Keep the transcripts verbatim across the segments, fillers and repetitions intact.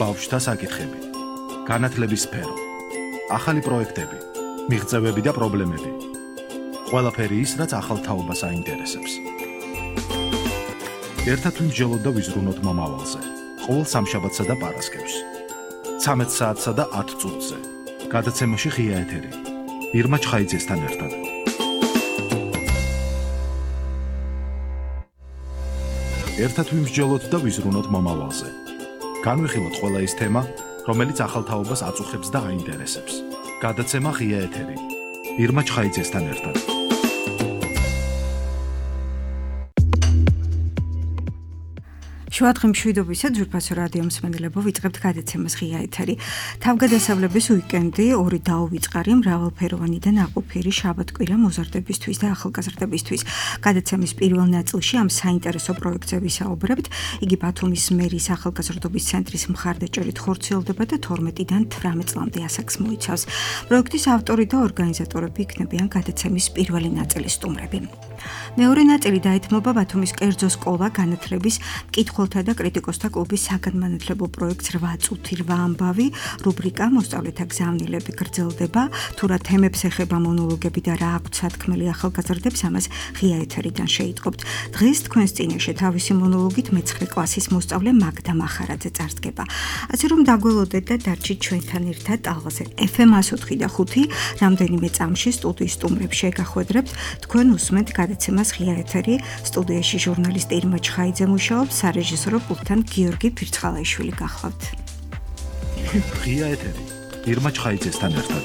ბავშვთა საკითხები, განათლების სფერო, ახალი პროექტები, მიღწევები და პრობლემები. ყველაფერი ის, რაც ახალ თაობას აინტერესებს. ერთად ვიმსჯელოთ და ვიზრუნოთ მომავალზე. ყოველ სამშაბათსა და პარასკევს. ცამეტ საათსა და ათ წუთზე. გადაცემაში ღია ეთერი. ირმა ჩხაიძესთან ერთად. ერთად ვიმსჯელოთ და ვიზრუნოთ მომავალზე. განვიხილოთ ყველა ის თემა, რომელიც ახალ თაობას აწუხებს და აინტერესებს. გადაცემა ღია ეთერი. ირმა ჩხაიძესთან ერთად. შუადღე მშვიდობისა ძვირფასო რადიო მსმენელებო, ვიწყებთ გადაცემას ღია ეთერი. თავგადასავლების უიკენდი ორი დაუვიწყარი, მრავალფეროვანი და ნაყოფიერი შაბათ-კვირა მოზარდებისთვის და ახალგაზრდებისთვის. გადაცემის პირველ ნაწილში ამ საინტერესო პროექტზე ვისაუბრებთ. იგი ბათუმის მერის ახალგაზრდობის ცენტრის მხარდაჭერით ხორციელდება და თორმეტიდან თვრამეტ წლამდე ასაკს მოიცავს. პროექტის ავტორი და ორგანიზატორები იქნებიან გადაცემის პირველი ნაწილის სტუმრები. მეორე ნაწილი დაეთმობა ბათუმის კერძო სკოლა განათლების მკითხველთა და კრიტიკოსთა კლუბის საგანმანათლებლო პროექტს რვა წუთი რვა ამბავი, რუბრიკა მოსწავლეთა გზავნილები გრძელდება, თუ რა თემებს ეხება მონოლოგები და რა აქვთ სათქმელი ახალგაზრდებს, ამას ღია ეთერიდან შეიტყობთ. დღეს თქვენს წინაშე თავისი მონოლოგით მეცხრე კლასის მოსწავლე მაგდა მახარაძე წარსდგება. ასე რომ დაგველოდეთ და დარჩით ჩვენთან ერთად ტალღაზე. ეფ ემ εκατო ოთხი და ხუთი რამდენიმე წამში სტუდიის სტუმრებს შეგახვედრებთ. თქვენ უსმენთ გადაცემას ღია ეთერი. სტუდიაში ჟურნალისტი ირმა ჩხაიძე მუშაობს, სარეჟისორო პულტთან გიორგი ფირცხალაიშვილი გახლავთ. ღია ეთერი. ირმა ჩხაიძესთან ერთად.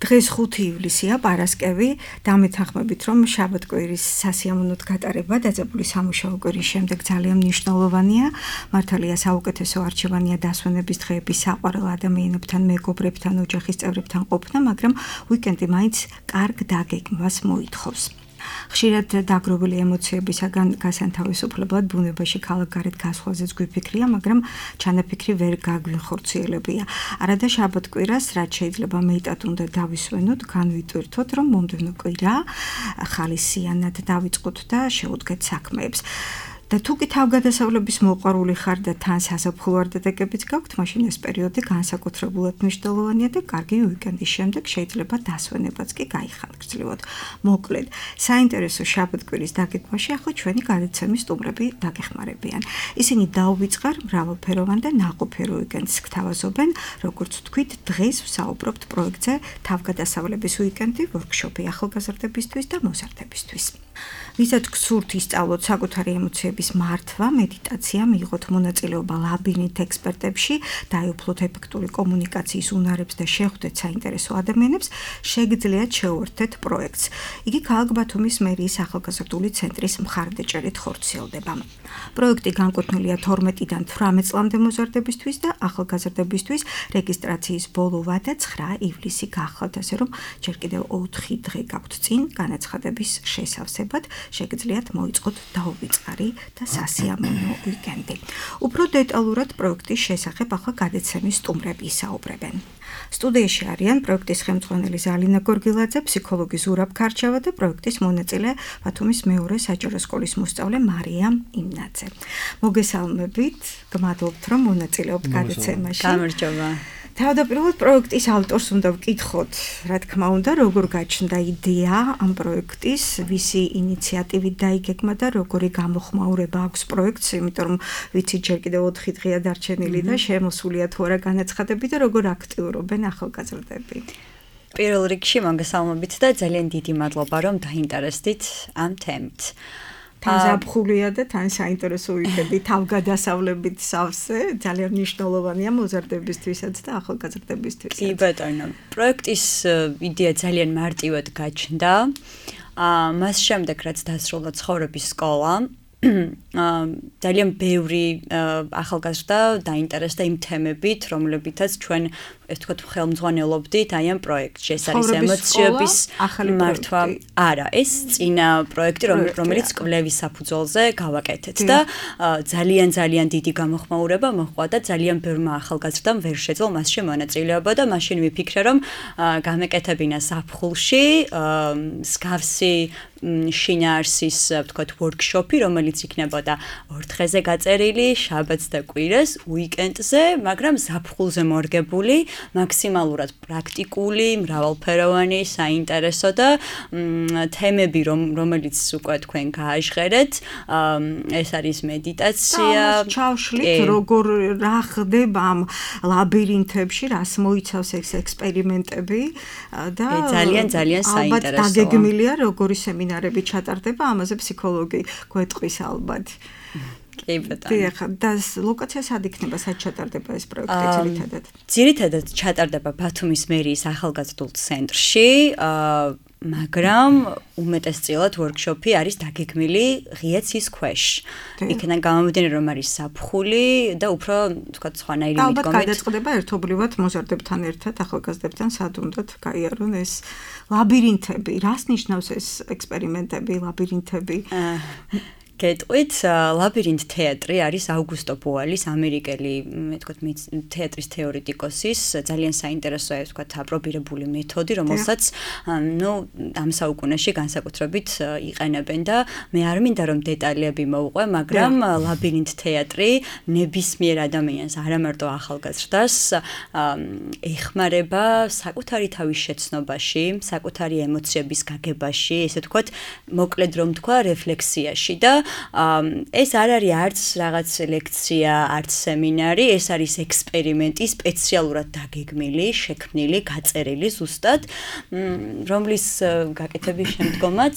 დღეს ხუთი ივლისია, პარასკევი, დამეთანხმებით, რომ შაბათ-კვირის სასიამოვნოდ გატარება დაძაბული სამუშაო კვირის შემდეგ ძალიან მნიშვნელოვანია. მართალია საუკეთესო არჩევანია დასვენების დღეების საყვარელ ადამიანებთან, მეგობრებთან, ოჯახის წევრებთან ყოფნა, მაგრამ უიკენდი მაინც კარგ დაგეგმვას მოითხოვს. ხშირად დაგროვილი ემოციებისაგან გასანთავისუფლებლად ბუნებაში ქალაქგარეთ გასვლაზეც გვიფიქრია, მაგრამ ჩანაფიქრი ვერ გაგვინხორციელებია. არადა შაბათ-კვირას, რაც შეიძლება მეტად უნდა დავისვენოთ, განვიტვირთოთ, რომ მომდევნო კვირა ხალისიანად დავიწყოთ და შევუდგეთ საქმეებს. და თუ კი თავგადასავლების მოყვარული ხარ და თან საზაფხულო არდადეგებიც გაქვთ, მაშინ ეს პერიოდი განსაკუთრებულად მნიშვნელოვანია და კარგი უიკენდის შემდეგ შეიძლება დასვენებაც კი გაიხანგრძლივოთ. მოკლედ, საინტერესო შაბათ-კვირის დაგეგმვაში ახლა ჩვენი გადაცემის სტუმრები დაგეხმარებიან. ისინი დაუვიწყარ, მრავალფეროვან და ნაყოფიერ უიკენდს გთავაზობენ, როგორც ვთქვით, დღეს ვსაუბრობთ პროექტზე თავგადასავლების უიკენდი, ვორქშოპი ახალგაზრდებისთვის და მოზარდებისთვის. ვისაც გსურთ ისწავლოთ საკუთარი ემოციების მართვა, მედიტაცია, მიიღოთ მონაწილეობა ლაბირინთ ექსპერტებში, დაეუფლოთ ეფექტური კომუნიკაციის უნარებს და შეხვდეთ საინტერესო ადამიანებს, შეგიძლიათ შეუერთდეთ პროექტს. იგი ქალაქ ბათუმის მერიის ახალგაზრდული ცენტრის მხარდაჭერით ხორციელდება. პროექტი განკუთვნილია თორმეტიდან თვრამეტ წლამდე მოზარდებისთვის და ახალგაზრდებისთვის. რეგისტრაციის ბოლო ვადა ცხრა ივლისი გახლავთ, ასე რომ ჯერ კიდევ ოთხი დღე გაქვთ წინ განაცხადების შესავსებად. შეგიძლიათ მოიწყოთ დაუვიწყარი და სასიამოვნო უიკენდი. უფრო დეტალურად პროექტის შესახებ ახლა გადაცემის სტუმრები ისაუბრებენ. სტუდიაში არიან პროექტის ხელმძღვანელი ზალინა გორგილაძე, ფსიქოლოგი ზურაბ ქარჩავა და პროექტის მონაწილე ბათუმის მეორე საჯარო სკოლის მოსწავლე მარია იმნაძე. მოგესალმებით, გმადლობთ, რომ მონაწილეობთ გადაცემაში. გამარჯობა. თავდაპირველად პროექტის ავტორს უნდა ვკითხოთ, რა თქმა უნდა, როგორ გაჩნდა იდეა ამ პროექტის, ვისი ინიციატივით დაიგეგმა და როგორი გამოხმაურება აქვს პროექტს, იმიტომ რომ ვიცით ჯერ კიდევ ოთხი დღეა დარჩენილი და შემოსულია თუ არა განაცხადები და როგორ აქტიურობენ ახალგაზრდები. პირველ რიგში მოგესალმებით და ძალიან დიდი მადლობა, რომ დაინტერესდით ამ თემით. თან ზაფხულია და თან საინტერესო უიკენდი თავგადასავლებით სავსე, ძალიან მნიშვნელოვანია მოზარდებისთვისაც და ახალგაზრდებისთვისაც. კი ბატონო, პროექტის იდეა ძალიან მარტივად გაჩნდა. მას შემდეგ, რაც დასრულდა ცხოვრების სკოლა, ძალიან ბევრი ახალგაზრდა დაინტერესდა იმ თემებით, რომლებითაც ჩვენ ეს თქვა ხელმძღვანელობდით აი ამ პროექტში. ეს არის ემოციების მართვა. არა, ეს წინა პროექტი, რომელიც კვლევის საფუძველზე გავაკეთეთ და ძალიან ძალიან დიდი გამოხმაურება მოჰყვა და ძალიან ბევრმა ახალგაზრდამ ვერ შეძლო მასში მონაწილეობა და მაშინ ვიფიქრე, რომ გამეკეთებინა ზაფხულში მსგავსი შინაარსის ვთქვათ workshop-ი, რომელიც იქნებოდა ორ დღეზე გაწერილი, შაბათს და კვირას, უიკენდზე, მაგრამ ზაფხულზე მორგებული, მაქსიმალურად პრაქტიკული, მრავალფეროვანი, საინტერესო და თემები, რომელიც უკვე თქვენ გააჟღერეთ, ეს არის მედიტაცია. ჩავშლით, როგორ რა ხდება ამ ლაბირინთებში, რას მოიცავს ეს ექსპერიმენტები და ძალიან ძალიან საინტერესოა. ალბათ დაგეგმილია როგორი სემინარები ჩატარდება, ამაზე ფსიქოლოგი გვეტყვის ალბათ. კი ბატონო. დიახ, და ლოკაცია სად იქნება, სად ჩატარდება ეს პროექტი ძირითადად? ძირითადად ჩატარდება ბათუმის მერიის ახალგაზრდულ ცენტრში, მაგრამ უმეტესწილად workshop-ი არის დაგეგმილი ღიაცის ქვეშ. იქიდან გამომდინარე, რომ არის საფხული და უფრო თქვათ სხვანაირი მიდგომით. ალბათ გადაწყდება ერთობლივად მოზარდებთან ერთად, ახალგაზრდებთან სად უნდათ გაიარონ ეს ლაბირინთები. რას ნიშნავს ეს ექსპერიმენტები, ლაბირინთები? გეტყვით, ლაბირინთ თეატრი არის აუგუსტო ბოალის ამერიკელი, მე თქვათ, თეატრის თეორეტიკოსის ძალიან საინტერესო, ეს თქვათ, აპრობირებული მეთოდი, რომელსაც ნუ ამ საუკუნეში განსაკუთრებით იყენებენ და მე არ მინდა რომ დეტალები მოვყვე, მაგრამ ლაბირინთ თეატრი ნებისმიერ ადამიანს, არა მარტო ახალგაზრდას, ეხმარება საკუთარი თავის შეცნობაში, საკუთარი ემოციების გაგებაში, ესე თქვათ, მოკლედ რომ თქვა, რეფლექსიაში და ეს არ არის არც რაღაც ლექცია, არც სემინარი, ეს არის ექსპერიმენტი, სპეციალურად დაგეგმილი, შექმნილი, გაწერილი ზუსტად, რომლის გაკეთების შემდგომაც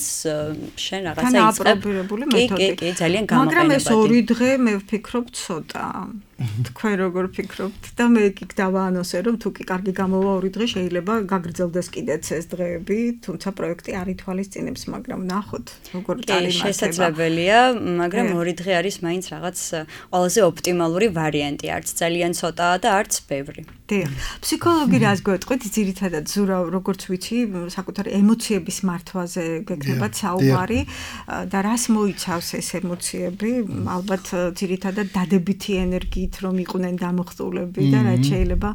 შენ რაღაცა იწყებ. აპრობირებული მეთოდი. კი, კი, ძალიან გამოყენებადი. მაგრამ ეს ორი დღე მე ვფიქრობ ცოტა. თქვენ როგორ ფიქრობთ და მე კი დავაანონსე რომ თუ კი კარგი გამოვა ორი დღე შეიძლება გაგრძელდეს კიდეც ეს დღეები, თუმცა პროექტი არ ითვალისწინებს, მაგრამ ნახოთ როგორ წარიმართება. შესაძლებელია, მაგრამ ორი დღე არის მაინც რაღაც ყველაზე ოპტიმალური ვარიანტი, არც ძალიან ცოტაა და არც ბევრი. დიახ. ფსიქოლოგი რას გვეტყვით, ძირითადად ზურა როგორც ვიცი, საკუთარი ემოციების მართვაზე გეკნებათ საუბარი და რას მოიცავს ეს ემოციები, ალბათ ძირითადად დადებითი ენერგიით რომ იყვნენ დამხტულები და რაც შეიძლება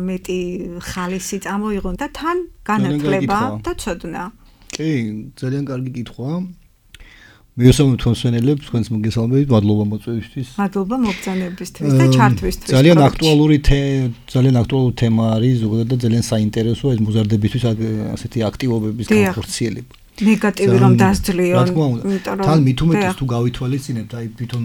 მეტი ხალისი წამოიღონ და თან განათლება და ცოდნა. კი, ძალიან კარგი კითხვა. მიესალმებით თქვენსვენელებს, თქვენს მოგესალმებით, მადლობა მოწვევისთვის. მადლობა მოგზაურობისთვის და ჩართვისთვის. ძალიან აქტუალური ძალიან აქტუალური თემა არის, ზოგადად და ძალიან საინტერესოა ეს მოზარდებისთვის ასეთი აქტივობების განხორციელება. ნეგატივი რომ დასძლიონ. თან მით უმეტეს თუ გავითვალისწინებთ, აი თვითონ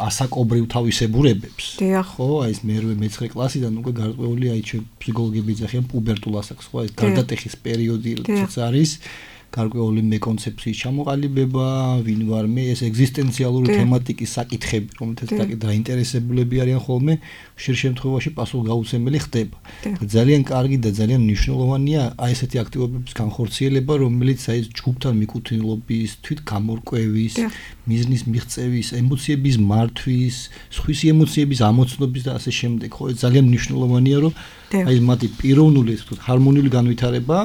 ასაკობრივ თავისებურებებს. ხო, აი ეს მერვე მეცხრე კლასიდან უკვე გარკვეული აი ფსიქოლოგები ეძახიან პუბერტულ ასაკს, ხო, ეს გარდატეხის პერიოდი რაც არის. გარკვეული მეკონცეფციის ჩამოყალიბება, ვინ ვარ მე, ეს ეგზისტენციალური თემატიკის საკითხები, რომელთაც დაინტერესებულები არიან ხოლმე, ხშირ შემთხვევაში პასუხგაუცემელი ხდება. და ძალიან კარგი და ძალიან მნიშვნელოვანია აი ესეთი აქტივობების განხორციელება, რომელიც აი ჯგუფთან მიკუთვნილობის, თვით გამორკვევის, მიზნის მიღწევის, ემოციების მართვის, სხვისი ემოციების ამოცნობის და ასე შემდეგ. ხო, ეს ძალიან მნიშვნელოვანია, რომ აი მათი პიროვნული, ასე ვთქვათ, ჰარმონიული განვითარება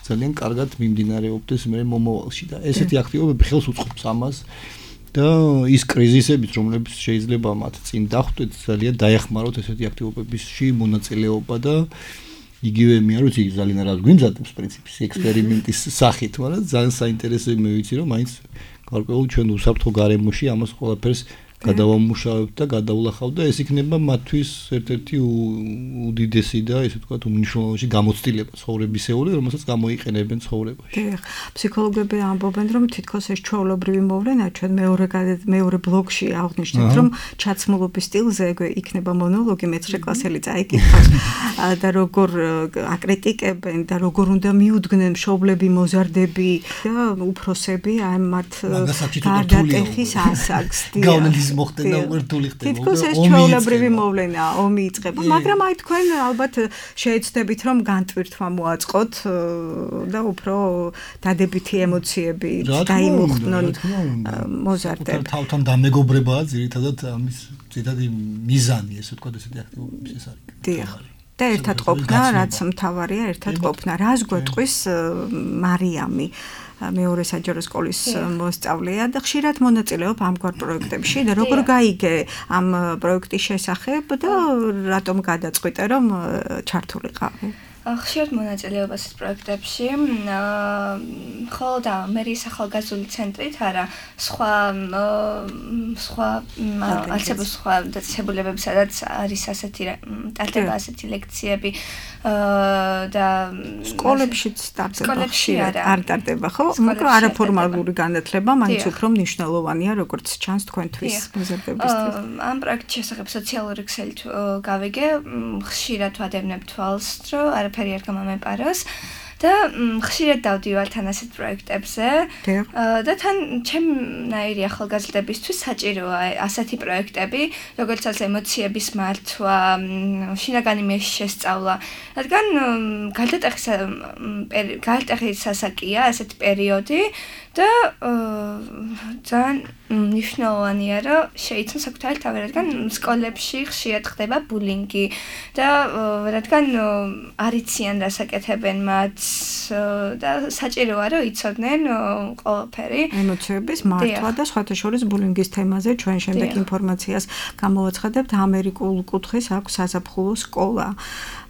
ძალიან კარგად მიმდინარეობდეს მე მომავალში და ესეთი აქტივობები ხელს უწყობს ამას და ის კრიზისებიც რომლებიც შეიძლება მათ წინ დახვდეთ ძალიან დაეხმაროთ ესეთი აქტივობებისში მონაწილეობა და იგივე მე არ ვიცი ძალიან რას გვიმზადებს პრინციპის ექსპერიმენტის სახით, მაგრამ ძალიან საინტერესოა მე ვიცი რომ მაინც გარკვეულ ჩვენ უსაფრთხო გარემოში ამას ყველაფერს გადავამუშავებთ და გადავლახავთ და ეს იქნება მათთვის ერთ-ერთი უდიდესი და ესე ვთქვათ უმნიშვნელოვანესი გამოცდილება ცხოვრებისეული, რომელსაც გამოიყენებენ ცხოვრებაში. დიახ, ფსიქოლოგები ამბობენ, რომ თითქოს ეს ჩვეულებრივი მოვლენა, ჩვენ მეორე მეორე ბლოკში აღნიშნეთ, რომ ჩაცმულობის სტილზე იქნება მონოლოგი, მეცხრე კლასელი წაიკითხავს და როგორ აკრიტიკებენ და როგორ უნდა მიუდგნენ მშობლები, მოზარდები და უფროსები ამ მათ გარდატეხის ასაკს. მოხდება უერთული ხდება. თითქოს ეს ჩვეულებრივი მოვლენაა, ომი იწყება, მაგრამ აი თქვენ ალბათ შეეცდებით რომ განტვირთვა მოაწყოთ და უფრო დადებითი ემოციები დაიმუხტნონ მოზარდებს. თავთან დამეგობრებაა ძირითადად ამის ძირითადი მიზანი, ესე ვთქვათ, ესეთი აქტივობების ეს არის. დიახ. და ერთად ყოფნა, რაც მთავარია, ერთად ყოფნა. რას გვეტყვის მარიამი? მეორე საჯარო სკოლის მოსწავლეა და ხშირად მონაწილეობ ამგვარ პროექტებში და როგორ გაიგე ამ პროექტის შესახებ და რატომ გადაწყვიტე რომ ჩართულიყავი? ხშირად მონაწილეობას პროექტებში, ხოლო და მერის ახალგაზრდული ცენტრით არა, სხვა სხვა არცებო სხვა დაწესებულებები, სადაც არის ასეთი ტარდება ასეთი ლექციები და სკოლებშიც ტარდება, არ ტარდება, ხო? მაგრამ არაფორმალური განათლება მაინც უფრო მნიშვნელოვანია, როგორც ჩანს თქვენთვის მოზარდებისთვის. ამ პროექტის შესახებ სოციალური ქსელით გავიგე, ხშირად ვადევნებ თვალს, რომ არაფერი არ გამომეპაროს და ხშირად დავდივარ თან ასეთ პროექტებზე და თან ჩემნაირი ახალგაზრდებისთვის საჭიროა ასეთი პროექტები, როგორიცაც ემოციების მართვა, შინაგანი მეშის შესწავლა, რადგან გარდატეხის გარდატეხის ასაკია ასეთი პერიოდი და ძალიან მნიშვნელოვანია, რომ შეიცნო საკუთარი თავი, რადგან სკოლებში ხშირად ხდება ბულინგი და რადგან არ იციან რას აკეთებენ მათ და საჭიროა, რომ იცოდნენ ყველაფერი. ემოციების მართვა და სხვათა შორის ბულინგის თემაზე ჩვენ შემდეგ ინფორმაციას გამოვაცხადებთ. ამერიკულ კუთხეს აქვს საზაფხულო სკოლა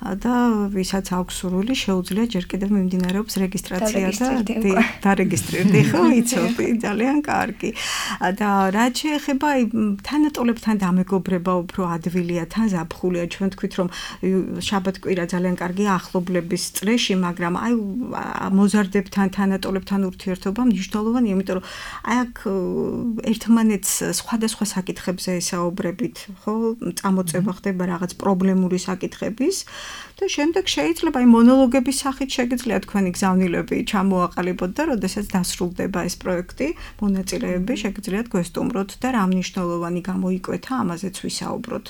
და ვისაც აქვს სურვილი, შეუძლია ჯერ კიდევ მიმდინარეობს რეგისტრაცია და დარეგისტრირდი, ხო, იცოდი, ძალიან კარგი. და რაც შეეხება თანატოლებთან დამეგობრება უფრო ადვილია, თან ზაფხულია, ჩვენ თქვით რომ შაბათ-კვირა ძალიან კარგი ახლობლების წრეში, მაგრამ აი მოზარდებთან, თანატოლებთან ურთიერთობა მნიშვნელოვანია, იმიტომ რომ აი აქ ერთმანეთს სხვადასხვა საკითხებზე ესაუბრებით, ხო, წამოწევა ხდება რაღაც პრობლემური საკითხების და შემდეგ შეიძლება აი მონოლოგების სახით შეგიძლია თქვენი გზავნილები ჩამოაყალიბოთ და როდესაც დასრულდება ეს პროექტი, მონაწილეები შეგიძლიათ გვესტუმროთ და რა მნიშვნელოვანი გამოიკვეთა, ამაზეც ვისაუბროთ.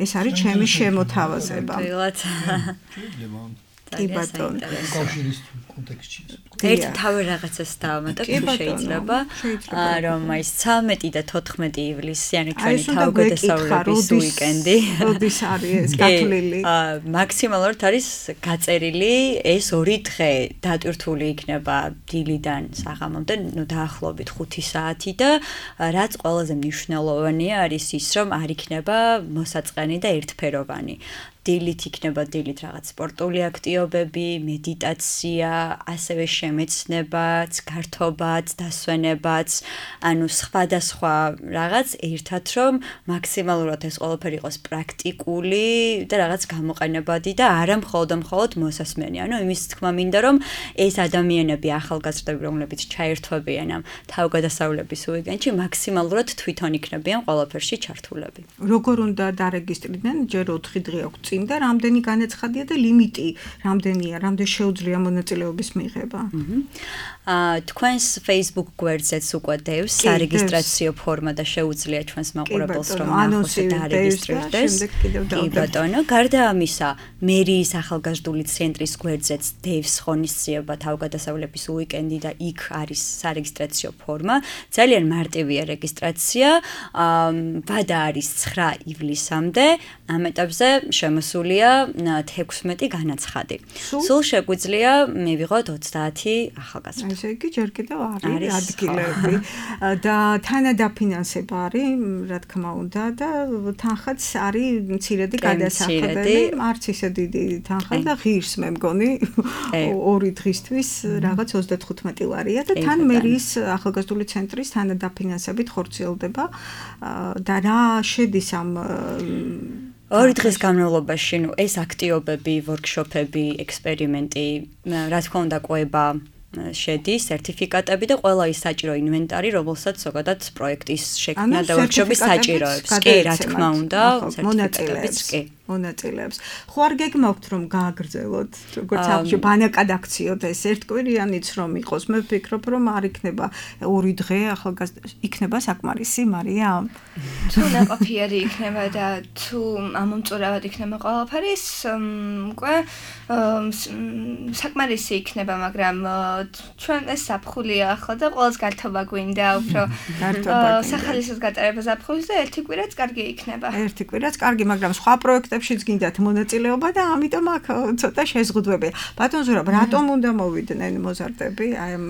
ეს არის ჩემი შემოთავაზება. კი ბატონო. კავშირის კონტექსტში. ერთ თავი რაღაცას დავამატებ, შეიძლება, რომ აი ცამეტი და თოთხმეტი ივლისი, ანუ ჩვენი თავგადასავლების უიკენდი. როდის არის ეს გათვლილი? მაქსიმალურად არის გაწერილი ეს ორი დღე, დატვირთული იქნება დილიდან საღამომდე, ნუ დაახლოებით ხუთი საათი და რაც ყველაზე მნიშვნელოვანია არის ის, რომ არ იქნება მოსაწყენი და ერთფეროვანი. დილით იქნება დილით რაღაც სპორტული აქტივობები, მედიტაცია, ასევე შემეცნებაც, გართობაც, დასვენებაც, ანუ სხვადასხვა რაღაც ერთად რომ მაქსიმალურად ეს ყველაფერი იყოს პრაქტიკული და რაღაც გამოყენებადი და არა მხოლოდ მხოლოდ მოსასმენი. ანუ იმის თქმა მინდა რომ ეს ადამიანები, ახალგაზრდები, რომლებიც ჩაერთვებიან ამ თავგადასავლების უიკენდში, მაქსიმალურად თვითონ იქნებიან ყველაფერში ჩართულები. როგორ უნდა დარეგისტრირდნენ? ჯერ ოთხი დღე აქვს წინ და რამდენი განაცხადია და ლიმიტი რამდენია, რამდენი შეუძლია მონაწილეობის მიღება. აა თქვენს Facebook გვერდზეც უკვე დევს სარეგისტრაციო ფორმა და შეუძლია ჩვენს მაყურებელს რომ ნახოს და დარეგისტრირდეს. კი ბატონო, გარდა ამისა, მერიის ახალგაზრდული ცენტრის გვერდზეც დევს ღონისძიება თავგადასავლების უიკენდი და იქ არის სარეგისტრაციო ფორმა. ძალიან მარტივია რეგისტრაცია. აა ვადა არის ცხრა ივლისამდე. ამ ეტაპზე შემოსულია თექვსმეტი განაცხადი. სულ შეგვიძლია მივიღოთ ოცდაათი ახალგაზრდა. ესე იგი ჯერ კიდევ არის ადგილები და თანადაფინანსება არის, რა თქმა უნდა და თანხაც არის მცირედი გადასახადები, არც ისე დიდი თანხა და ღირს მე მგონი ორი დღისთვის რაღაც ოცდათხუთმეტი ლარია და თან მერის ახალგაზრდული ცენტრის თანადაფინანსებით ხორციელდება და რა შედის ამ ორი დღის განმავლობაში, ნუ ეს აქტივობები, ვორქშოპები, ექსპერიმენტი, რა თქმა უნდა, ყვება შედის, სერტიფიკატები და ყველა ის საჭირო ინვენტარი, რომელსაც ზოგადად პროექტის შექმნა და ვორქშოპის საჭიროებს. კი, რა თქმა უნდა, მონაწილეებს კი. მონაწილეებს. ხო არ გეგმავთ რომ გააგრძელოთ, როგორც ახში ბანაკად აქციოთ ეს ერთკვირიანიც რომ იყოს. მე ვფიქრობ რომ არ იქნება ორი დღე ახალგაზრდა იქნება საკმარისი, მარია. თუ ნაყოფიერი იქნება და თუ ამომწურავად იქნება ყველაფერი, უკვე საკმარისი იქნება, მაგრამ ჩვენ ეს საფხულია ახლა და ყველას გართობა გვინდა უფრო სახალისოს გატარება საფხულის და ერთი კვირაც კარგი იქნება. ერთი კვირაც კარგი, მაგრამ სხვა პროექტები პროექტებშიც გინდათ მონაწილეობა და ამიტომ აქ ცოტა შეზღუდვებია. ბატონ ზურაბ, რატომ უნდა მოვიდნენ მოზარდები აი ამ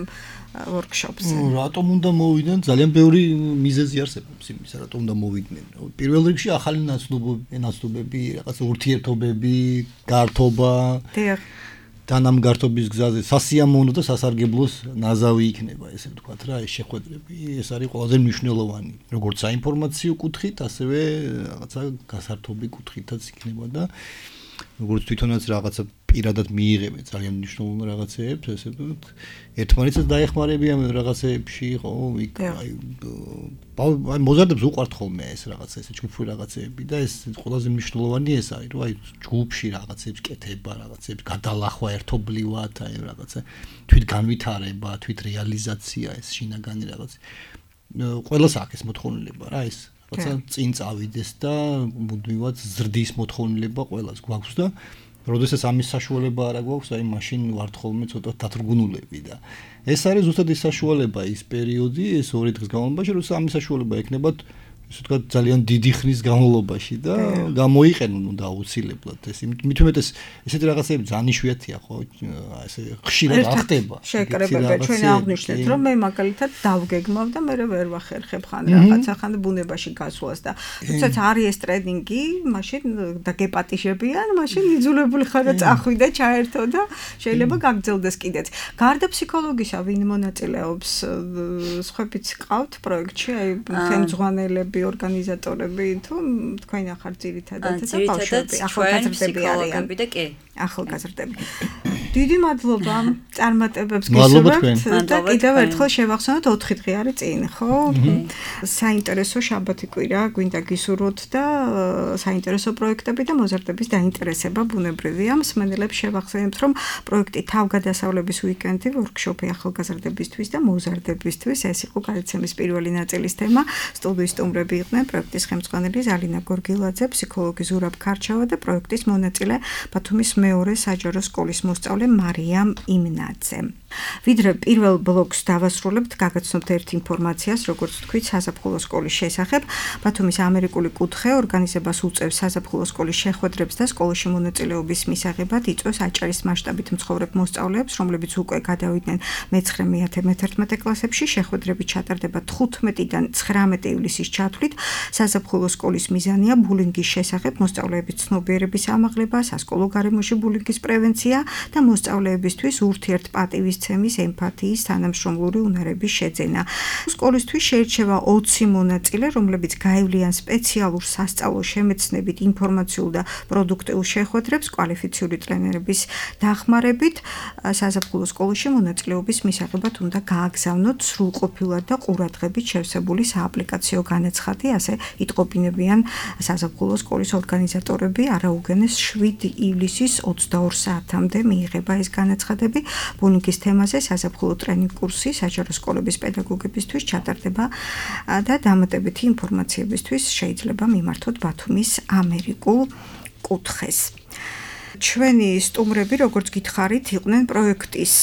workshop-ზე? რატომ უნდა მოვიდნენ? ძალიან ბევრი მიზეზი არსებობს იმისა, რატომ უნდა მოვიდნენ. პირველ რიგში ახალი ნაცნობები, რაღაც ურთიერთობები, გართობა. დიახ. თან ამ გართობის გზაზე სასიამოვნო და სასარგებლოს ნაზავი იქნება, ესე ვთქვათ რა, ეს შეხვედრები, ეს არის ყველაზე მნიშვნელოვანი, როგორც საინფორმაციო კუთხით, ასევე რაღაცა გასართობი კუთხითაც იქნება და როგორც თვითონაც რაღაცა პირადად მიიღებენ ძალიან მნიშვნელოვან რაღაცეებს, ესე ვთქვათ, ერთმანეთსაც დაეხმარებიან რაღაცეებში, ხო, იქ აი აი მოზარდებს უყვართ ხოლმე ეს რაღაცა, ესე ჯგუფური რაღაცეები და ეს ყველაზე მნიშვნელოვანი ეს არის, რომ აი ჯგუფში რაღაცეებს კეთება, რაღაცეებს გადალახვა ერთობლივად, აი რაღაცა თვით განვითარება, თვით რეალიზაცია, ეს შინაგანი რაღაც. ყველას აქვს ეს მოთხოვნილება რა, ეს რაღაცა წინ წავიდეს და მუდმივად ზრდის მოთხოვნილება ყველას გვაქვს და როდესაც ამის საშუალება არ გვაქვს, აი მაშინ ვართ ხოლმე ცოტა დათრგუნულები და ეს არის ზუსტად ის საშუალება, ის პერიოდი, ეს ორი დღის განმავლობაში, როცა ამის საშუალება ექნებათ, ისე ვთქვათ, ძალიან დიდი ხნის განმავლობაში და გამოიყენონ უნდა აუცილებლად ეს. მით უმეტეს ესეთი რაღაცები ძალიან იშვიათია, ხო? ესე ხშირად ახდება. შეკრებება ჩვენ აღნიშნეთ, რომ მე მაგალითად დავგეგმავ და მე ვერ ვახერხებ ხან რაღაცა ხან ბუნებაში გასვლას და თუმცა არის ეს ტრენინგი, მაშინ და გეპატიჟებიან, მაშინ იძულებული ხარ და წახვი და ჩაერთო და შეიძლება გაგრძელდეს კიდეც. გარდა ფსიქოლოგისა, ვინ მონაწილეობს? სხვაებიც ყავთ პროექტში, აი ხელმძღვანელები, ორგანიზატორები თუ თქვენ ახალ ძირითადად და ბავშვები, ახალგაზრდები არიან და კი, ახალგაზრდები. დიდი მადლობა წარმატებებს გისურვებთ და კიდევ ერთხელ შევახსენოთ ოთხი დღე არის წინ, ხო? საინტერესო შაბათი კვირა გვინდა გისურვოთ და საინტერესო პროექტები და მოზარდების დაინტერესება ბუნებრივია. მსმენელებს შევახსენებთ, რომ პროექტი თავგადასავლების უიკენდი, ვორქშოპი ახალგაზრდებისთვის და მოზარდებისთვის, ეს იყო გადაცემის პირველი ნაწილის თემა. სტუდიის სტუმრები იყვნენ პროექტის ხელმძღვანელი ზალინა გორგილაძე, ფსიქოლოგი ზურაბ ქარჩავა და პროექტის მონაწილე ბათუმის მეორე საჯარო სკოლის მოსწავლე მარიამ იმნაძე. ვიდრე პირველ ბლოკს დავასრულებთ, გაგაცნობთ ერთ ინფორმაციას, როგორც თქვით, საზაფხულო სკოლის შესახებ. ბათუმის ამერიკული კუთხე ორგანიზებას უწევს საზაფხულო სკოლის შეხვედრებს და სკოლაში მონაწილეობის მისაღებად იწვევს აჭარის მასშტაბით მცხოვრებ მოსწავლეებს, რომლებიც უკვე გადავიდნენ მეცხრე, მეათე, მეთერთმეტე კლასებში. შეხვედრები ჩატარდება თხუთმეტიდან ცხრამეტე ივლისის ჩათვლით. საზაფხულო სკოლის მიზანია ბულინგის შესახებ მოსწავლეების ცნობიერების ამაღლება, სასკოლო გარემოში ბულინგის პრევენცია და მოსწავლეებისთვის ურთიერთპატივისცემის, ემპათიის, თანამშრომლური უნარების შეძენა. სკოლისთვის შეირჩევა ოცი მონაწილე, რომლებიც გაივლიან სპეციალურ სასწავლო შემეცნებით, ინფორმაციულ და პროდუქტიულ შეხვედრებს კვალიფიციური ტრენერების დახმარებით. საზაფხულო სკოლაში მონაწილეობის მისაღებად უნდა გააგზავნოთ სრულყოფილად და ყურადღებით შევსებული სააპლიკაციო განაცხადი, ასე იტყობინებიან საზაფხულო სკოლის ორგანიზატორები. არაუგენეს შვიდი ივლისის ოცდაორ საათამდე მიიღება ეს განაცხადები. ბულინგის თემაზე საზაფხულო ტრენინგ კურსი საჯარო სკოლების პედაგოგებისთვის ჩატარდება და დამატებითი ინფორმაციებისთვის შეიძლება მიმართოთ ბათუმის ამერიკულ კუთხეს. ჩვენი სტუმრები, როგორც გითხარით, იყვნენ პროექტის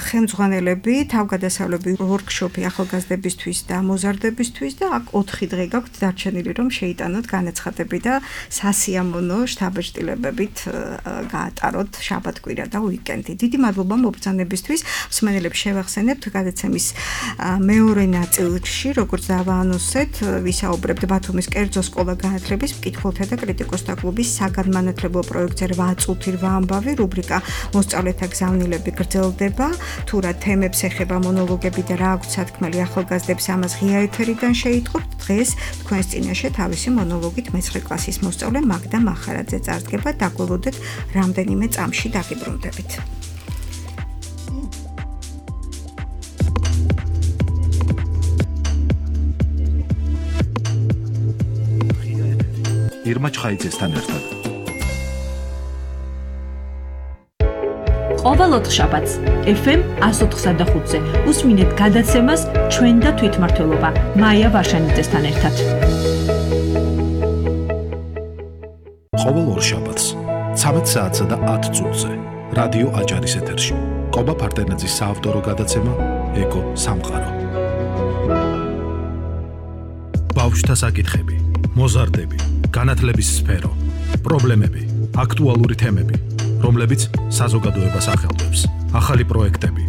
ხელმძღვანელები, თავგადასავლები ვორქშოპი ახალგაზრდებისთვის და მოზარდებისთვის და აქ ოთხი დღე გაქვთ დარჩენილი, რომ შეიტანოთ განაცხადები და სასიამოვნო შთაბეჭდილებებით გაატაროთ შაბათ-კვირა და უიკენდი. დიდი მადლობა მობრძანებისთვის. მსმენელებს შევახსენებთ გადაცემის მეორე ნაწილში, როგორც დავაანონსეთ, ვისაუბრებთ ბათუმის კერძო სკოლა განათლების მკითხველთა და კრიტიკოსთა კლუბის საგანმანათლებლო პროექტზე რვა წუთი რვა ამბავი რუბრიკა მოსწავლეთა გზავნილები გრძელდება. თუ რა თემებს ეხება მონოლოგები და რა აქვთ სათქმელი ახალგაზრდებს, ამას ღია ეთერიდან შეიტყობთ. დღეს თქვენს წინაშე თავისი მონოლოგით მეცხრე კლასის მოსწავლე მაგდა მახარაძე წარდგება. დაგველოდეთ რამდენიმე წამში დაგიბრუნდებით. ირმა ჩხაიძესთან ერთად. ყოველ ოთხშაბათს ეფ ემ εκατო ოთხსა და ხუთზე უსმინეთ გადაცემას ჩვენ და თვითმმართველობა მაია ვარშანიძესთან ერთად. ყოველ ორშაბათს ცამეტ საათსა და ათ წუთზე რადიო აჭარის ეთერში ყობა ფარდენაძის საავტორო გადაცემა ეკო სამყარო. ბავშვთა საკითხები, მოზარდები, განათლების სფერო, პრობლემები, აქტუალური თემები, რომლებიც საზოგადოებას ახელვებს, ახალი პროექტები,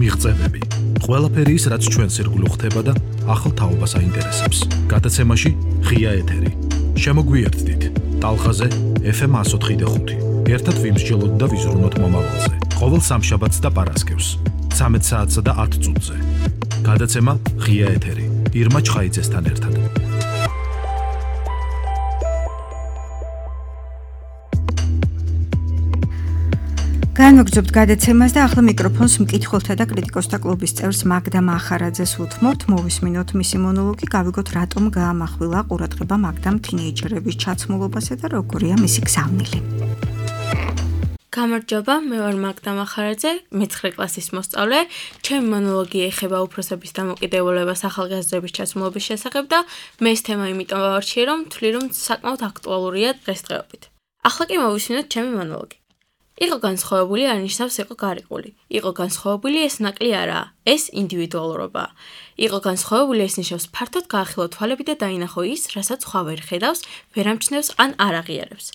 მიღწევები, ყველაფერი ის, რაც ჩვენს ირგვლივ ხდება და ახალ თაობას აინტერესებს. გადაცემაში ღია ეთერი. შემოგვიერთდით ტალღაზე ეფ ემ one oh five point five. ერთად ვიმსჯელოთ და ვიზრუნოთ მომავალზე. ყოველ სამშაბათს და პარასკევს, ცამეტ საათსა და ათ წუთზე. გადაცემა ღია ეთერი. ირმა ჩხაიძესთან ერთად. განვაგრძობთ გადაცემას და ახლა მიკროფონს მკითხველთა და კრიტიკოსთა კლუბის წევრს მაგდა მახარაძეს უთმობთ. მოვისმინოთ მისი მონოლოგი, გავიგოთ რატომ გაამახვილა ყურადღება მაგდამ თინეიჯერების ჩაცმულობასა და როგორია მისი გზავნილი. გამარჯობა, მე ვარ მაგდა მახარაძე, მეცხრე კლასის მოსწავლე. ჩემი მონოლოგი ეხება უფროსების დამოკიდებულებას ახალგაზრდების ჩაცმულობის შესახებ და მე ეს თემა იმიტომ ვავარჩიე, რომ ვთვლი, რომ საკმაოდ აქტუალურია დღესდღეობით. ახლა კი მოვისმინოთ ჩემი მონოლოგი. იყო განსხვავებული არ ნიშნავს იყო გარიყული. იყო განსხვავებული ეს ნაკლი არაა, ეს ინდივიდუალურობაა. იყო განსხვავებული ეს ნიშნავს ფართოდ გაახილო თვალები და დაინახო ის, რასაც სხვა ვერ ხედავს, ვერ ამჩნევს ან არ აღიარებს.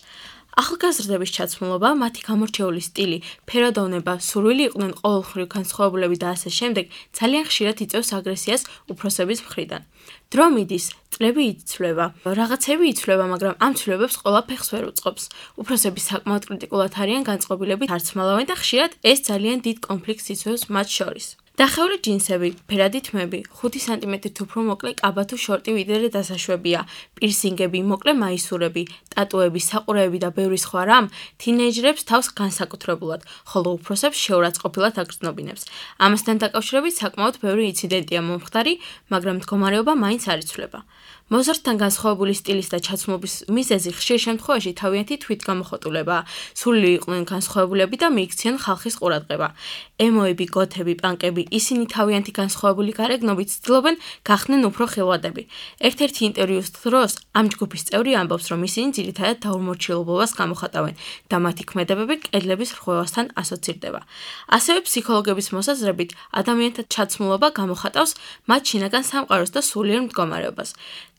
ახალგაზრდების ჩაცმულობა, მათი გამორჩეული სტილი, ფერადოვნება, სურვილი იყვნენ ყოველმხრივ განსხვავებულები და ასე შემდეგ, ძალიან ხშირად იწვევს აგრესიას უფროსების მხრიდან. დრო მიდის, წლები იცვლება, რაღაცები იცვლება, მაგრამ ამ ცვლილებებს ყველა ფეხს ვერ უწყობს. უფროსები საკმაოდ კრიტიკულად არიან განწყობილებით არცმალავენ და ხშირად ეს ძალიან დიდ კონფლიქტს იწვევს მათ შორის. დახეული ჯინსები, ფერადი თმები, ხუთი სანტიმეტრით უფრო მოკლე კაბა თუ შორტი ვიდრე დასაშვებია, პირსინგები, მოკლე მაისურები, ტატუები, საყურეები და ბევრი სხვა რამ თინეიჯერებს თავს განსაკუთრებულად, ხოლო უფროსებს შეურაცხყოფილად აგრძნობინებს. ამასთან დაკავშირებით საკმაოდ ბევრი ინციდენტია მომხდარი, მაგრამ მდგომარეობა მაინც არ იცვლება. მოზარდთან განსხვავებული სტილის და ჩაცმულობის მიზეზი ხშირ შემთხვევაში თავიანთი თვითგამოხატულებაა. სულილი იყვნენ განსხვავებულები და მიიქცნენ ხალხის ყურადღება. ემოები, გოთები, პანკები, ისინი თავიანთი განსხვავებული გარეგნობით ცდილობენ გახდნენ უფრო ხილვადები. ერთ-ერთი ინტერვიუს დროს ამ ჯგუფის წევრი ამბობს, რომ ისინი ძირითადად დაუმორჩილებლობას გამოხატავენ და მათი ქმედებები კედლების რღვევასთან ასოცირდება. ასევე ფსიქოლოგების მოსაზრებით, ადამიანთა ჩაცმულობა გამოხატავს მათ შინაგან სამყაროს და სულიერ მდგომარეობას.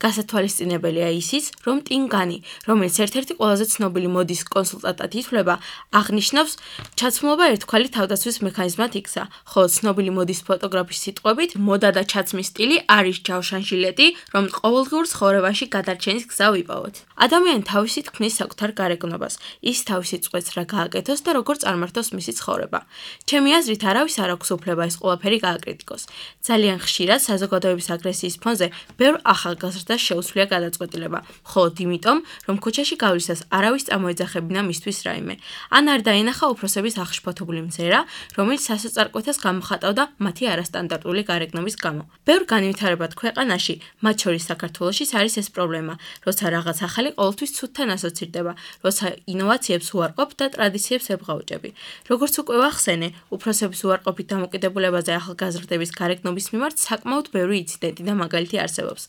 გასათვალისწინებელია ისიც, რომ ტინგანი, რომელიც ერთ-ერთი ყველაზე ცნობილი მოდის კონსულტანტად ითვლება, აღნიშნავს, ჩაცმულობა ერთგვარი თავდაცვის მექანიზმად იქცა, ხოლო ცნობილი მოდის ფოტოგრაფის სიტყვებით, მოდა და ჩაცმის სტილი არის ჯავშანჟილეტი, რომ ყოველდღიურ ცხოვრებაში გადარჩენის გზა ვიპოვოთ. ადამიანი თავისით ქმნის საკუთარ გარეგნობას, ის თავისი წყვეტს რა გააკეთოს და როგორ წარმართოს მისი ცხოვრება. ჩემი აზრით, არავის არ აქვს უფლება ეს ყველაფერი გააკრიტიკოს. ძალიან ხშირად საზოგადოების აგრესიის ფონზე ბევრ ახალგაზრდას შეუცვლია გადაწყვეტილება, მხოლოდ იმიტომ, რომ ქუჩაში გავლისას არავის წამოეძახებინა მისთვის რაიმე. ან არ დაინახა უფროსების აღშფოთებული მზერა, რომელიც სასოწარკვეთას გამოხატავდა მათი არასტანდარტული გარეგნობის გამო. ბევრ განვითარებად ქვეყანაში, მათ შორის საქართველოშიც არის ეს პრობლემა, როცა რაღაც ახალი ყოველთვის ცუდთან ასოცირდება, როცა ინოვაციებს უარყოფ და ტრადიციებს ებღაუჭები. როგორც უკვე ვახსენე, უფროსების უარყოფით დამოკიდებულებაზე ახალგაზრდების გარეგნობის მიმართ საკმაოდ ბევრი ინციდენტი და მაგალითი არსებობს.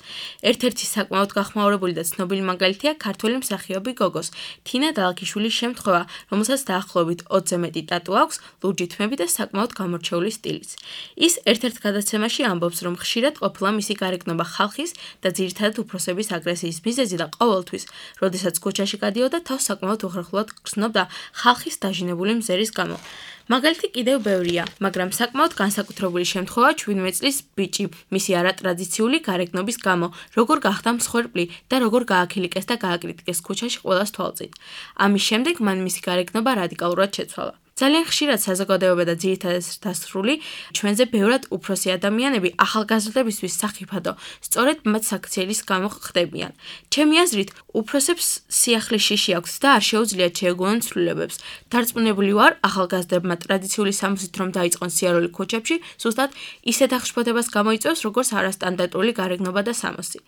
ერთ-ერთი საკმაოდ გახმაურებული და ცნობილი მაგალითია ქართველი მსახიობი გოგოს, თინა დალქიშვილის შემთხვევა, რომელსაც დაახლოებით ოცზე მეტი ტატუ აქვს, ლურჯი თმები და საკმაოდ გამორჩეული სტილიც. ის ერთ-ერთ გადაცემაში ამბობს, რომ ხშირად ყოფილა მისი გარეგნობა ხალხის და ძირითადად უფროსების აგრესიის მიზეზი და ყოველთვის, როდესაც ქუჩაში გადიოდა, თავს საკმაოდ უხერხულად გრძნობდა ხალხის დაჟინებული მზერის გამო. მაგალითი კიდევ ბევრია, მაგრამ საკმაოდ განსაკუთრებული შემთხვევა ჩვიდმეტ წლის ბიჭი, მისი არატრადიციული გარეგნობის გამო, როგორ გახდა მსხვერპლი და როგორ გააქილიკეს და გააკრიტიკეს ქუჩაში ყველას თვალწინ. ამის შემდეგ მან მისი გარეგნობა რადიკალურად შეცვალა. ძალიან ხშირად საზოგადოება და ძირითადად დასრული ჩვენზე ბევრად უფროსი ადამიანები ახალგაზრდებისთვის სახიფათო, სწორედ მათ საქციელის გამო ხდებიან. ჩემი აზრით, უფროსებს სიახლის შიში აქვს და არ შეუძლიათ შეეგუონ ცვლილებებს. დარწმუნებული ვარ, ახალგაზრდებმა ტრადიციული სამოსით რომ დაიწყონ სიარული ქუჩებში, ზუსტად ისეთ აღშფოთებას გამოიწვევს, როგორც არასტანდარტული გარეგნობა და სამოსი.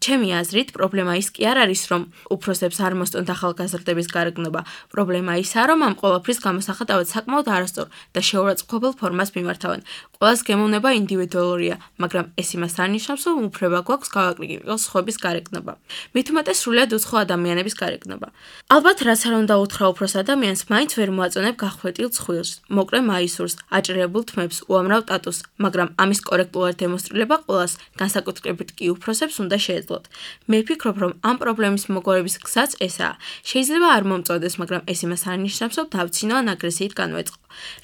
ჩემი აზრით, პრობლემა ის კი არ არის, რომ უფროსებს არ მოსწონთ ახალგაზრდების გარეგნობა. პრობლემა ისაა, რომ ამ ყველაფრის გამოსახატავად მიუხედავად საკმაოდ არასწორ და შეურაცხმყოფელ ფორმას მიმართავენ. ყველას გემოვნება ინდივიდუალურია, მაგრამ ეს იმას არ ნიშნავს, რომ უფლება გვაქვს გავაკრიტიკოს სხვების გარეგნობა. მით უმეტეს სრულიად უცხო ადამიანების გარეგნობა. ალბათ რაც არ უნდა უთხრა უფროს ადამიანს, მაინც ვერ მოაწონებ გახვეტილ ცხვილს, მოკრე მაისურს, აჭრიებულ თმებს, უამრავ ტატუს, მაგრამ ამის კორექტულად დემონსტრირება ყველას, განსაკუთრებით კი უფროსებს უნდა შეეძლოთ. მე ვფიქრობ, რომ ამ პრობლემის მოგვარების გზაც ესაა. შეიძლება არ მომწონდეს, მაგრამ ეს იმას არ ნიშნავს, რომ დავცინო ან აგრესიით განვეწყო.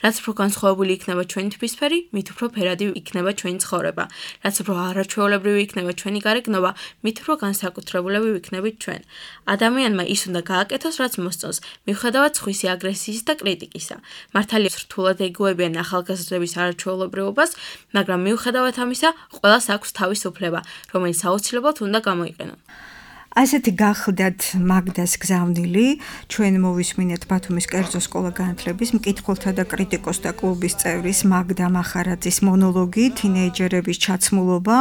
რაც უფრო განსხვავებული იქნება ჩვენი თვისფერი, მით უფრო ფერადი იქნება ჩვენი ცხოვრება. რაც უფრო არაჩვეულებრივი იქნება ჩვენი გარეგნობა, მით უფრო განსაკუთრებულები ვიქნებით ჩვენ. ადამიანმა ის უნდა გააკეთოს, რაც მოსწონს, მიუხედავად სხვისი აგრესიის და კრიტიკისა. მართალია რთულად ეგუებიან ახალგაზრდების არაჩვეულებრივობას, მაგრამ მიუხედავად ამისა, ყველას აქვს თავის უფლება, რომელიც აუცილებლად უნდა გამოიყენონ. ასეთი გახლდათ მაგდას გზავნილი, ჩვენ მოვისმინეთ ბათუმის კერძო სკოლა განათლების მკითხველთა და კრიტიკოსთა კლუბის წევრის მაგდა მახარაძის მონოლოგი თინეიჯერების ჩაცმულობა,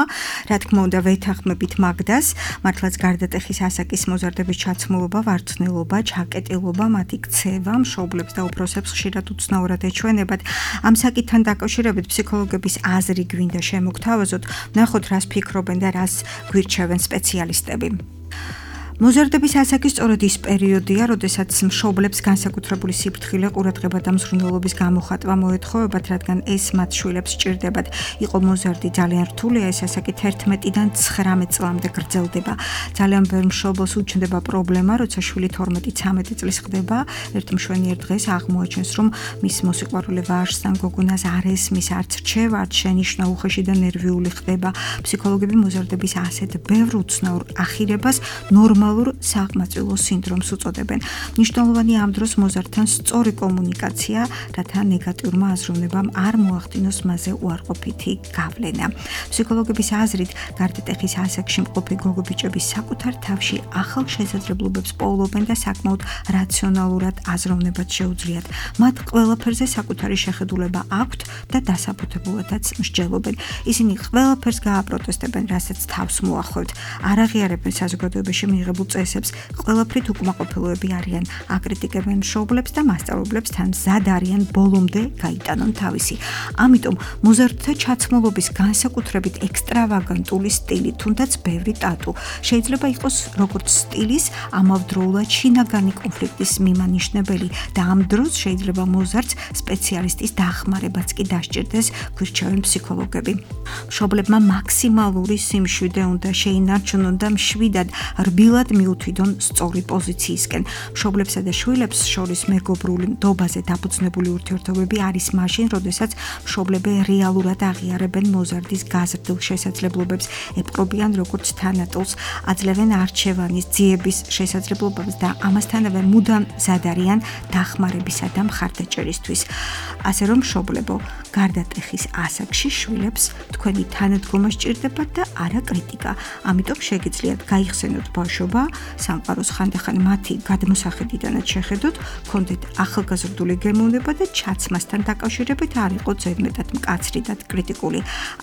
რა თქმა უნდა ვეთანხმებით მაგდას, მართლაც გარდატეხის ასაკის მოზარდების ჩაცმულობა, ვარცხნილობა, ჩაკეტილობა, მათი ქცევა, მშობლებს და უფროსებს ხშირად უცნაურად ეჩვენებათ. ამ საკითხთან დაკავშირებით ფსიქოლოგების აზრი გვინდა შემოგთავაზოთ, ნახოთ რას ფიქრობენ და რას გვირჩევენ სპეციალისტები. მოზარდების ასაკი სწორედ ის პერიოდია, როდესაც მშობლებს განსაკუთრებული სიფრთხილე, ყურადღება და მსხვილნელობის გამოხატვა მოეთხოვებათ, რადგან ეს მათ შვილებს სჭირდებათ. იყო მოზარდი ძალიან რთულია, ეს ასაკი თერთმეტიდან ცხრამეტ წლამდე გრძელდება. ძალიან ბევრ მშობელს უჩნდება პრობლემა, როცა შვილი თორმეტი ცამეტი წლის ხდება, ერთი მშვენიერ დღეს აღმოაჩენს, რომ მის მოსიყვარულე ვაჟს ან გოგონას არ ესმის, არც რჩევა, არც შენიშვნა უხეში და ნერვიული ხდება. ფსიქოლოგები მოზარდების ასეთ ბევრ უცნაურ ახირებას ნორმალურ საყმაწვილო სინდრომს უწოდებენ. მნიშვნელოვანია ამ დროს მოზარდთან სწორი კომუნიკაცია, რათა ნეგატიურმა აზროვნებამ არ მოახდინოს მასზე უარყოფითი გავლენა. ფსიქოლოგების აზრით, გარდატეხის ასაკში მყოფი გოგობიჭების საკუთარ თავში ახალ შესაძლებლობებს პოულობენ და საკმაოდ რაციონალურად აზროვნებად შეუძლიათ. მათ ყველაფერზე საკუთარი შეხედულება აქვთ და დასაბუთებულადაც მსჯელობენ. ისინი ყველაფერს გააპროტესტებენ, რასაც თავს მოახვევთ. არ აღიარებენ საზოგადოებაში მიიღებულ წესებს, ყველაფრით უკმაყოფილოები არიან, აკრიტიკებენ მშობლებს და მასწავლებლებს, თან მზად არიან ბოლომდე გაიტანონ თავისი. ამიტომ მოზარდთა ჩაცმულობის განსაკუთრებით ექსტრავაგანტული სტილი, თუნდაც ბევრი ტატუ, შეიძლება იყოს როგორც სტილის, ამავდროულად შინაგანი კონფლიქტის მიმანიშნებელი და ამ დროს შეიძლება მოზარდს სპეციალისტის დახმარებაც კი დასჭირდეს, გვირჩევენ ფსიქოლოგები. მშობლებმა მაქსიმალური სიმშვიდე უნდა შეინარჩუნონ და მშვიდად რბილად მიუთვიდონ სწორი პოზიციისკენ. მშობლებსა და შვილებს შორის მეგობრული ნდობაზე დაფუძნებული ურთიერთობები არის მაშინ, როდესაც მშობლები რეალურად აღიარებენ მოზარდის გაზრდილ შესაძლებლობებს, ეპყრობიან როგორც თანატოლს, აძლევენ არჩევანის, ძიების შესაძლებლობებს და ამასთანავე მუდამ მზად არიან დახმარებისა და მხარდაჭერისთვის. ასე რომ მშობლებო, გარდატეხის ასაკში შვილებს თქვენი თანადგომა სჭირდებათ და არა კრიტიკა. ამიტომ შეგიძლიათ გაიხსენოთ ბავშვობა, სამყაროს ხანდახან მათი გადმოსახედიდანაც შეხედოთ, გქონდეთ ახალგაზრდული გემოვნება და ჩაცმასთან დაკავშირებით არ იყო ზედმეტად მკაცრი და კრიტიკული.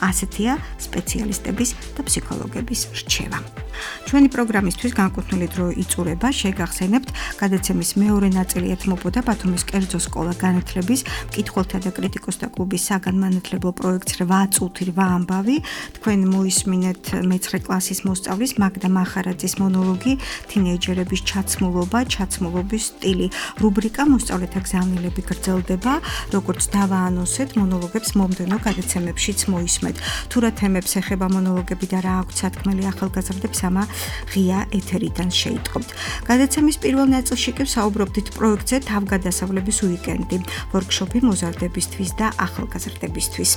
ასეთია სპეციალისტების და ფსიქოლოგების რჩევა. ჩვენი პროგრამისთვის განკუთვნილი დრო იწურება, შეგახსენებთ, გადაცემის მეორე ნაწილი ეთმობოდა ბათუმის კერძო სკოლა განათლების მკითხველთა და კრიტიკოსთა კლუბის საგანმანათლებლო პროექტს რვა წუთი რვა ამბავი. თქვენ მოისმინეთ მეცხრე კლასის მოსწავლის მაგდა მახარაძის მონოლოგი თინეიჯერების ჩაცმულობა, ჩაცმულობის სტილი. რუბრიკა მოსწავლეთა გზავნილები გრძელდება, როგორც დავაანონსეთ, მონოლოგებს მომდევნო გადაცემებშიც მოისმეთ. თუ რა თემებს ეხება მონოლოგები და რა აქვთ სათქმელი ახალგაზრდებს, ამა ღია ეთერიდან შეიტყობთ. გადაცემის პირველ ნაწილში კი საუბრობდით პროექტზე თავგადასავლების უიკენდი, ვორქშოპი მოზარდებისთვის და ახალგაზრდებისთვის.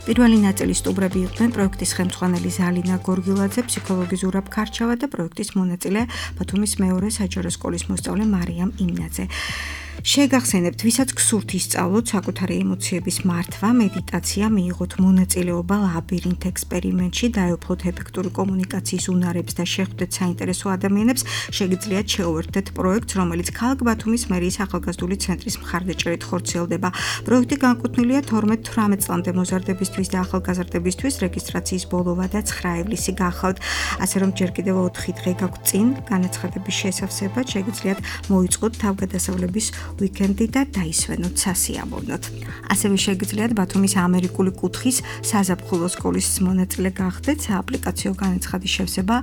პირველი ნაწილის სტუმრები იყვნენ პროექტის ხელმძღვანელი ზალინა გორგილაძე, ფსიქოლოგი ზურაბ ქარჩავა და პროექტის მონაწილე ბათუმის მეორე საჯარო სკოლის მოსწავლე მარიამ იმნაძე. შეგახსენებთ, ვისაც გსურთ ისწავლოთ საკუთარი ემოციების მართვა, მედიტაცია, მიიღოთ მონაწილეობა ლაბირინთ ექსპერიმენტში, დაეუფლოთ ეფექტური კომუნიკაციის უნარებს და შეხვდეთ საინტერესო ადამიანებს, შეგიძლიათ შეუერთდეთ პროექტს, რომელიც ქალაქ ბათუმის მერიის ახალგაზრდული ცენტრის მხარდაჭერით ხორციელდება. პროექტი განკუთვნილია თორმეტ თვრამეტ წლამდე მოზარდებისთვის და ახალგაზრდებისთვის, რეგისტრაციის ბოლოვა და ცხრა ივლისი გახლავთ. ასე რომ ჯერ კიდევ ოთხი დღე გაგვწინ განაცხადების შესავსებად, შეგიძლიათ მოიწყოთ თავგადასავლების ვიკენდი და დაისვენოთ სასიამოვნოთ. ასევე შეგიძლიათ ბათუმის ამერიკული კუთხის საზაფხულო სკოლის მონაწილე გახდეთ. სააპლიკაციო განაცხადის შევსება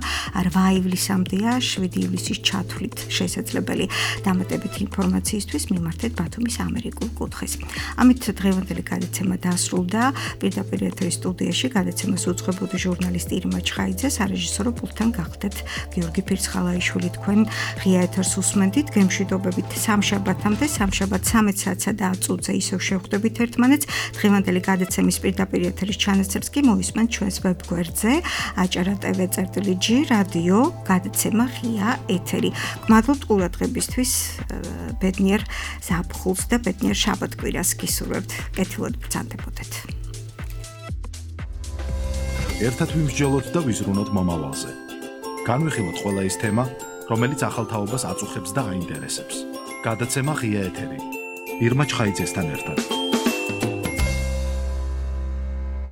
რვა ივლისამდეა, შვიდი ივლისის ჩათვლით შესაძლებელი. დამატებითი ინფორმაციისთვის მიმართეთ ბათუმის ამერიკულ კუთხეს. ამით დღევანდელი გადაცემა დასრულდა. პირდაპირ ეთერის სტუდიაში გადაცემას უძღვებოდი ჟურნალისტი ირმა ჩხაიძე, სარეჟისორო პულტთან გახდეთ გიორგი ფირცხალაიშვილი. თქვენ ღია ეთერს უსმენდით. გემშვიდობებით სამშაბათამდე, სამშაბათ სამეც საათსა და ათ წუთზე ისევ შევხვდებით ერთმანეთს. დღევანდელი გადაცემის პირდაპირ ეთერის ჩანაწერს კი მოისმენთ ჩვენს ვებგვერდზე აჭარა ტევ წერტილი ჯი რადიო გადაცემა ღია ეთერი. გმადლობთ ყურადღებისთვის. ბედნიერ ზაფხულს და ბედნიერ შაბათ-კვირას გისურვებთ. კეთილად ბრძანდებოდეთ. ერთად ვიმსჯელოთ და ვიზრუნოთ მომავალზე. განვიხილოთ ყველა ის თემა, რომელიც ახალ თაობას აწუხებს და აინტერესებს. გადაცემა ღია ეთერი. ირმა ჩხაიძესთან ერთად.